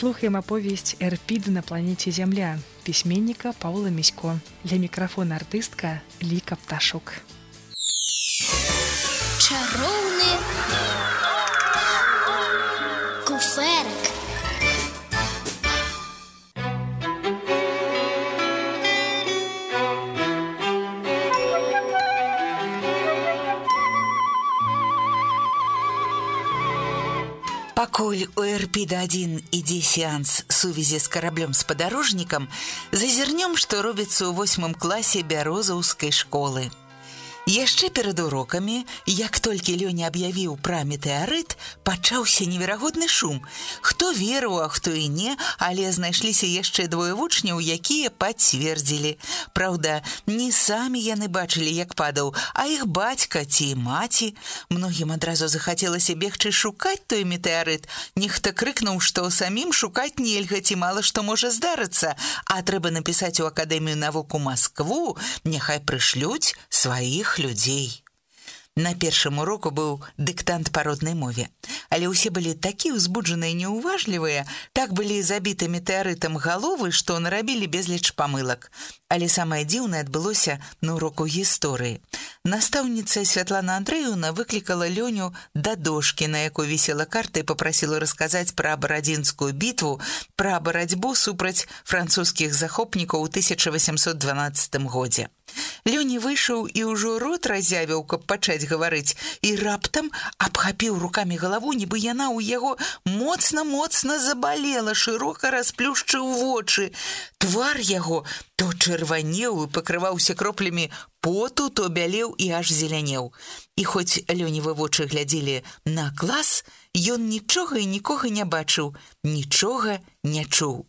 Слухаем аповесць «Эрпід на планете Земля» письменника Павла Місько. Для микрофона артистка Лика Пташук. Чароўны куферак. Пакуль у Эрпіда-1 ідзе сеанс сувязі з караблём-спадарожнікам, зазірнём, што робіцца ў 8 класе бярозаўскай школы. Яшчэ перад урокамі, як толькі Лёня аб'явіў пра метэарыт, пачаўся неверагодны шум. Хто верыў, а хто і не, але знайшліся яшчэ двое вучняў, якія пацвердзілі. Праўда, не самі яны бачылі, як падаў, а іх бацька ці маці. Многім адразу захацелася бегчы шукаць той метэарыт. Нехта крыкнуў, што самім шукаць нельга, ці мала што можа здарыцца, а трэба напісаць у Акадэмію навук у Маскву, няхай прышлюць сваіх людзей. На першым уроку быў дыктант па роднай мове, але ўсе былі такі ўзбуджаныя і неуважлівыя, так былі забіты метэарытам галовы, што нарабілі безліч памылак. Але самае дзіўнае адбылося на уроку гісторыі. Настаўніца Святлана Андрэевна выклікала Лёню да дошкі, на якой вісела карта, і папрасіла расказаць пра Барадзінскую бітву, пра барацьбу супраць французскіх захопнікаў у 1812 годзе. Лёня выйшаў і ўжо рот разявіў, каб пачаць гаварыць, і раптам абхапіў рукамі галаву, нібы яна ў яго моцна-моцна забалела, шырока расплюшчыў вочы. Твар яго то чырванеў і пакрываўся кроплямі поту, то бялеў і аж зелянеў. І хоць Лёневы вочы глядзелі на клас, ён нічога і нікога не бачыў, нічога не чуў.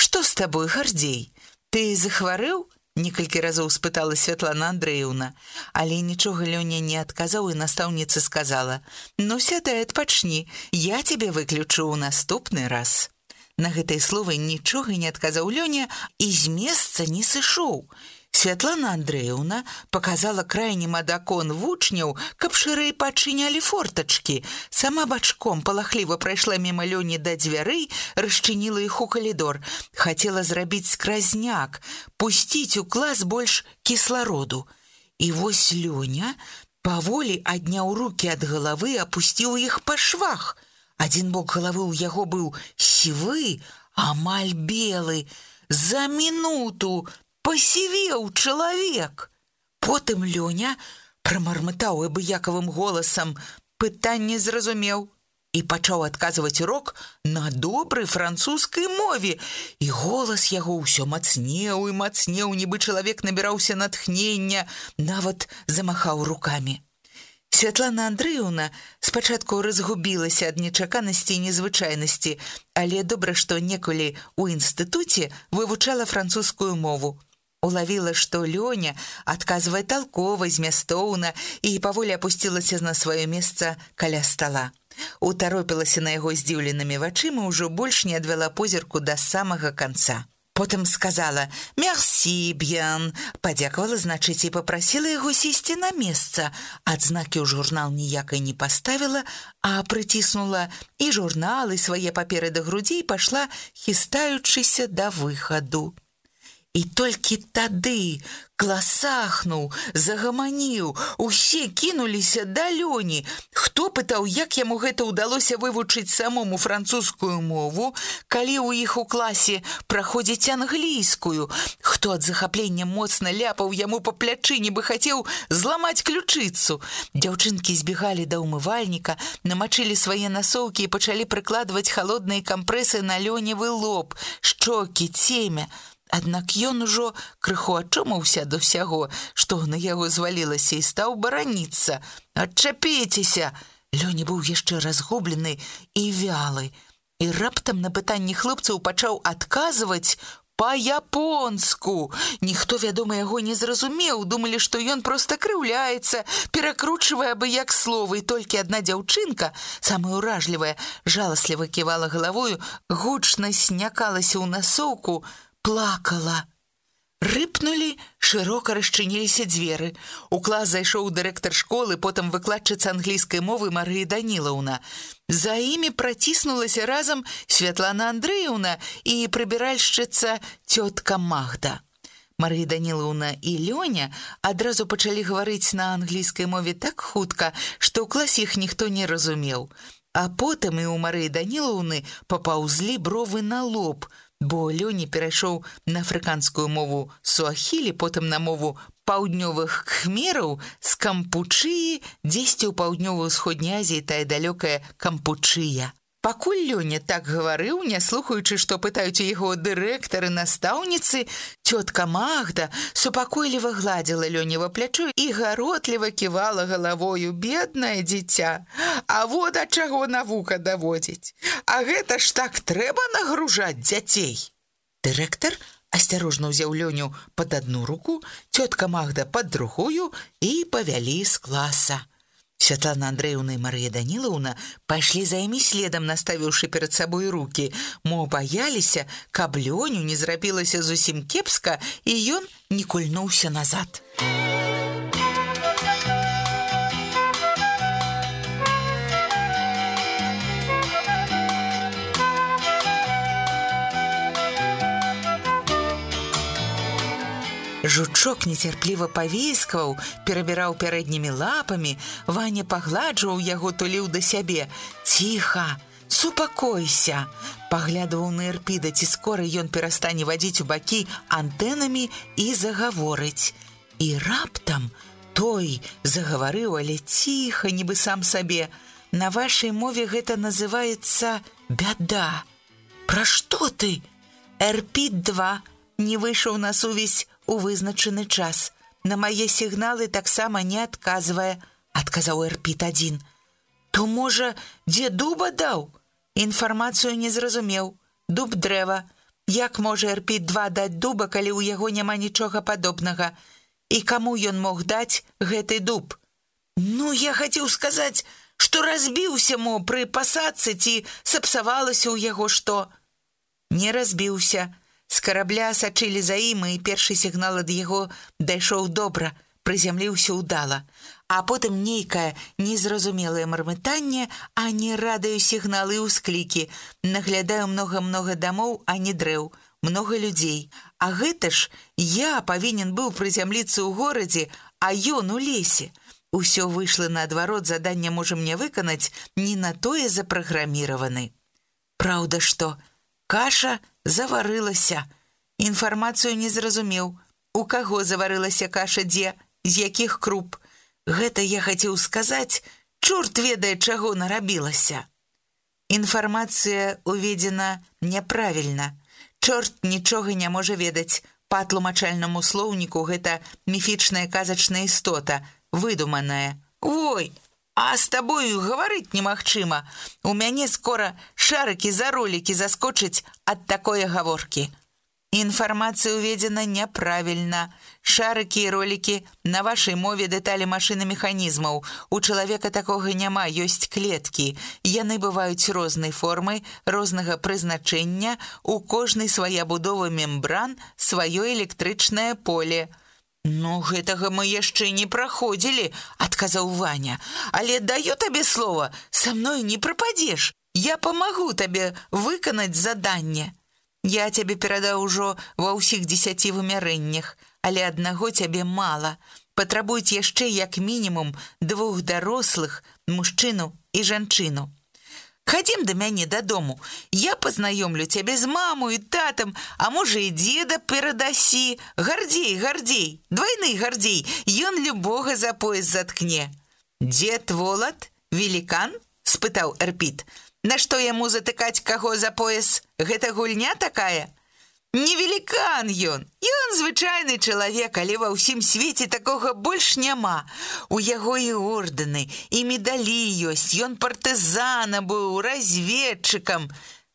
«Што з табой, Гардзей? Ты захварэў?» Некалькі разоў спытала Святлана Андрэевна, але нічога Лёня не адказаў, і настаўніца сказала: «Ну, сядай, адпачні, я цябе выключу ў наступны раз». На гэтыя словы нічога не адказаў Лёня і з месца не сышоў. Святлана Андрэевна показала крайнім ад акон вучняў, каб шырэй пачынялі фортачкі. Сама бачком палахліва прайшла міма Лёні да дзвярэй, расчыніла іх у калідор. Хацела зрабіць скразняк, пусціць у клас больш кіслароду. І вось Лёня паволі адняў рукі ад галавы, апусціў іх па швах. Адзін бок галавы ў яго быў сівы, амаль белы. За мінуту пасівеў чалавек. Потым Лёня прамармытаў абыякавым голасам, пытанне зразумеў, і пачаў адказваць урок на добрай французскай мове. І голас яго ўсё мацнеў і мацнеў, нібы чалавек набіраўся натхнення, нават замахаў рукамі. Святлана Андрэевна спачатку разгубілася ад нечаканасці і незвычайнасці, але добра, што некалі ў інстытуце вывучала французскую мову. Улавіла, што Лёня адказвае талкова, змястоўна, і паволі апусцілася на сваё месца каля стала. Утаропілася на яго здзіўленымі вачыма, ўжо больш не адвяла позірку да самага канца. Потым сказала «Мерсі, б'ян», падзякавала, значыць, і папрасіла яго сесці на месца. Адзнакі ў журнал ніякай не паставіла, а прыціснула і журнал, і свае паперы да грудзей, пайшла, хістаючыся да выхаду. І толькі тады клас ахнуў, загаманіў, усе кінуліся да Лёні. Хто пытаў, як яму гэта ўдалося вывучыць самому французскую мову, калі ў іх у класе праходзіць англійскую. Хто ад захаплення моцна ляпаў яму па плячы, нібы хацеў зламаць ключыцу. Дзяўчынкі збегалі да ўмывальніка, намачылі свае насоўкі і пачалі прыкладваць халодныя кампрэсы на Лёневы лоб, шчокі, цемя. Аднак ён ужо крыху ачомаўся да ўсяго, што на яго звалілася, і стаў бараніцца. «Адчапіцеся!» Лёня быў яшчэ разгублены і вялы. І раптам на пытанні хлопцаў пачаў адказваць па-японску. Ніхто, вядома, яго не зразумеў, думалі, што ён проста крыўляецца, перакручвае абы-як словы, і толькі адна дзяўчынка, самая ўражлівая, жаласліва ківала галавою, гучна снякалася ў насоўку, плакала. Рыпнулі, шырока расчыніліся дзверы. У клас зайшоў дырэктар школы, потым выкладчыца англійскай мовы Марыя Данілаўна. За імі праціснулася разам Святлана Андрэевна і прыбіральшчыца цётка Магда. Марыя Данілаўна і Лёня адразу пачалі гаварыць на англійскай мове так хутка, што ў класе іх ніхто не разумеў. А потым і ў Марыі Данілаўны папаўзлі бровы на лоб, бо Лёня перайшоў на афрыканскую мову суахілі, потым на мову паўднёвых кхмераў з Кампучыі, дзесьці ў паўднёва-ўсходняй Азіі тая далёкая Кампучыя. Пакуль Лёня так гаварыў, не слухаючы, што пытаюць у яго дырэктары, настаўніцы, цётка Магда супакойліва гладзіла Лёнева плячо і гаротліва ківала галавою. Беднае дзіця, а вот ад чаго навука даводзіць. А гэта ж так трэба нагружаць дзяцей. Дырэктар асцярожна ўзяў Лёню пад адну руку, цётка Магда пад другую і павялі з класа. Святлана Андрэевна і Марыя Данілаўна пайшлі за імі следам, наставіўшы перад сабой рукі, мо баяліся, каб Лёню не зрабілася зусім кепска, і ён не кульнуўся назад. Жучок нецярпліва павіскваў, перабіраў пярэднімі лапамі, Ваня пагладжваў яго, туліў да сябе. Ціха, супакойся, паглядваў на Эрпіда, ці скора ён перастане вадзіць у бакі антэнамі і загаворыць. І раптам той загаварыў, але ціха, нібы сам сабе. На вашай мове гэта называецца бяда. Пра што ты? Эрпід-2 не выйшаў на сувязь у вызначаны час. На мае сігналы таксама не адказвае, адказаў Эрпід-1. То, можа, дзе дуба даў? Інфармацыю не зразумеў. Дуб дрэва. Як можа Эрпід-2 даць дуба, калі ў яго няма нічога падобнага? І каму ён мог даць гэты дуб? Ну, я хацеў сказаць, што разбіўся мо пры пасадцы, ці сапсавалася ў яго што? Не разбіўся. З карабля сачылі за ім, і першы сігнал ад яго дайшоў добра, прызямліўся ўдала. А потым нейкае незразумелае мармытанне, а не радыёсігналы і ўсклікі. Наглядаю многа-многа дамоў, а не дрэў, многа людзей. А гэта ж я павінен быў прызямліцца ў горадзе, а ён у лесе. Усё выйшла наадварот, заданне можам не выканаць, не на тое запраграміраваны. Праўда, што каша заварылася. Інфармацыю не зразумеў. У каго заварылася каша, дзе, з якіх круп. Гэта я хацеў сказаць, чорт ведае, чаго нарабілася. Інфармацыя уведзена няправільна. Чорт нічога не можа ведаць. Па тлумачальнаму слоўніку гэта міфічная казачная істота, выдуманая. Ой, а з табою гаварыць немагчыма. У мяне скора шарыкі за ролікі заскочыць ад такой гаворкі. Інфармацыя уведзена няправільна. Шарыкі і ролікі на вашай мове дэталі машынамеханізмаў. У чалавека такога няма, ёсць клеткі. Яны бываюць рознай формы, рознага прызначэння, у кожнай свая будова мембран, сваё электрычнае поле. Ну, гэтага мы яшчэ не праходзілі, адказаў Ваня. Але даю табе слова, са мной не прападзеш. Я памагу табе выканаць заданне. Я цябе перадаў ужо ва ўсіх 10 вымярэннях, але аднаго цябе мала. Патрабуюць яшчэ як мінімум 2 дарослых, мужчыну і жанчыну. Хадзім да мяне дадому. Я пазнаёмлю цябе з маму і татам, а можа і дзеда перадасі. Гардзей, гардзей, двайны гардзей, ён любога за пояс заткне. Дзед Волат, велікан? Спытаў Эрпід. Нашто яму затыкаць каго за пояс? Гэта гульня такая? Не велікан ён. Ён звычайны чалавек, але ва ўсім свеце такога больш няма. У яго і ордэны, і медалі ёсць. Ён партызана быў, разведчыкам.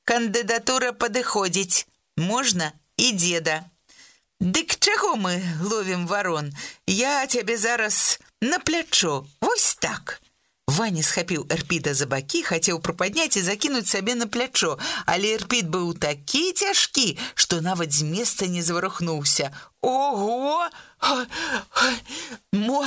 Кандыдатура падыходзіць. Можна і дзеда. Дык чаго мы ловім варон? Я цябе зараз на плячо. Вось так. Ваня схапіў Эрпіда за бакі, хацеў прыпадняць і закінуць сабе на плячо, але Эрпід быў такі цяжкі, што нават з месца не заварухнуўся. «Ого! Мо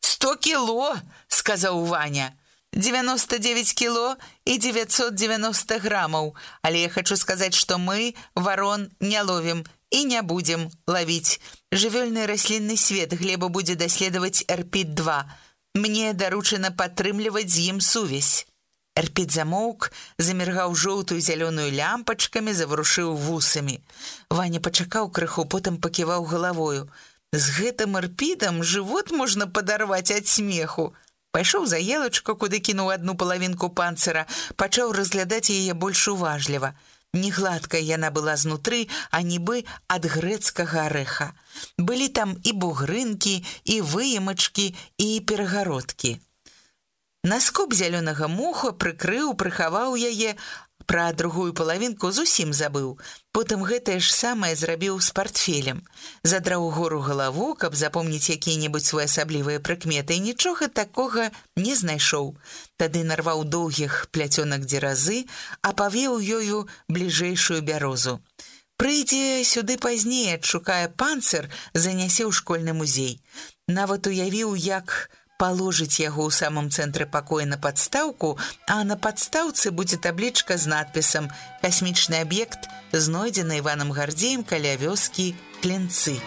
100 кіло!» – сказаў Ваня. 99 кіло і 990 грамаў. Але я хачу сказаць, што мы варон не ловім і не будзем лавіць. Жывёльны раслінны свет Глеба будзе даследаваць Эрпід-2. Мне даручана падтрымліваць з ім сувязь. Эрпід замоўк, заміргаў жоўтую зялёную лямпачкамі, заварушыў вусамі. Ваня пачакаў крыху, потым паківаў галавою. З гэтым Эрпідам жывот можна падарваць ад смеху. Пайшоў за елачку, куды кінуў адну палавінку панцыра, пачаў разглядаць яе больш уважліва. Не гладкая яна была знутры, а нібы ад грэцкага арэха. Былі там і бугрынкі, і выемачкі, і перагародкі. Наскоп зялёнага моху прыхаваў яе, пра другую палавінку зусім забыў. Потым гэтае ж самае зрабіў з партфелем. Задраў угору галаву, каб запомніць якія-небудзь своеасаблівыя прыкметы, і нічога такога не знайшоў. Тады нарваў доўгіх пляцёнак дзеразы, а павеў ёю бліжэйшую бярозу. Прыйдзе сюды пазней, адшукае панцыр, занясе ў школьны музей. Нават уявіў, як паложыць яго ў самым цэнтры пакоя на падстаўку, а на падстаўцы будзе таблічка з надпісам «Касмічны аб'ект, знойдзены Іванам Гардзеем каля вёскі Клінцы».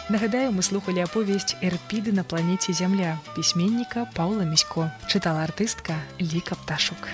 Нагадаю, мы слухали аповесць «Эрпіды на планеце Зямля» пісьменніка Паўла Місько. Чытала артыстка Ліка Пташук.